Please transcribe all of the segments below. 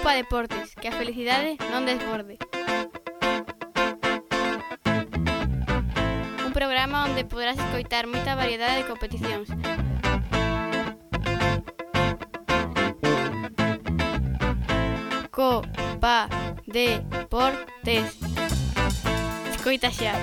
Copa Deportes, que a felicidade non desborde. Un programa onde poderás escoitar moita variedade de competicións. Copa Deportes. Escoita xa.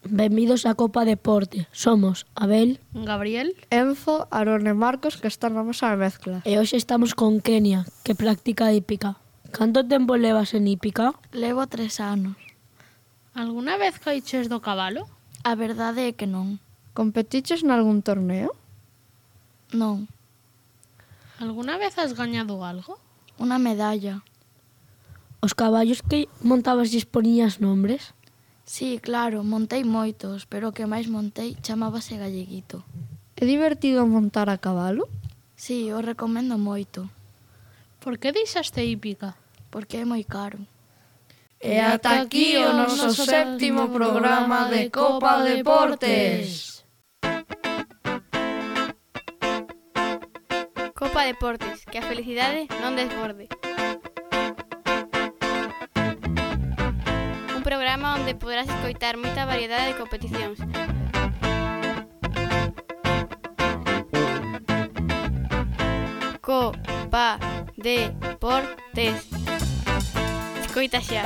Benvidos a Copa Deporte. Somos Abel, Gabriel, Enzo, Arone e Marcos, que están na mesa de mezcla. e hoxe estamos con Kenia, que practica hípica. Canto tempo levas en hípica? Levo 3 anos. alguna vez caíches do cabalo? A verdade é que non. Competiches nalgún torneo? Non. Alguna vez has gañado algo? Unha medalla. Os caballos que montabas lles poñías nombres? Sí, claro, montei moitos, pero o que máis montei chamábase Galleguito. É divertido montar a cabalo? Sí, o recomendo moito, Por que deixaste hípica? porque é moi caro. E ata aquí o noso séptimo programa de Copa Deportes. Copa Deportes, que a felicidade non desborde. Un programa onde poderás escoitar moita variedade de competicións. Copa Deportes. Escoita xa.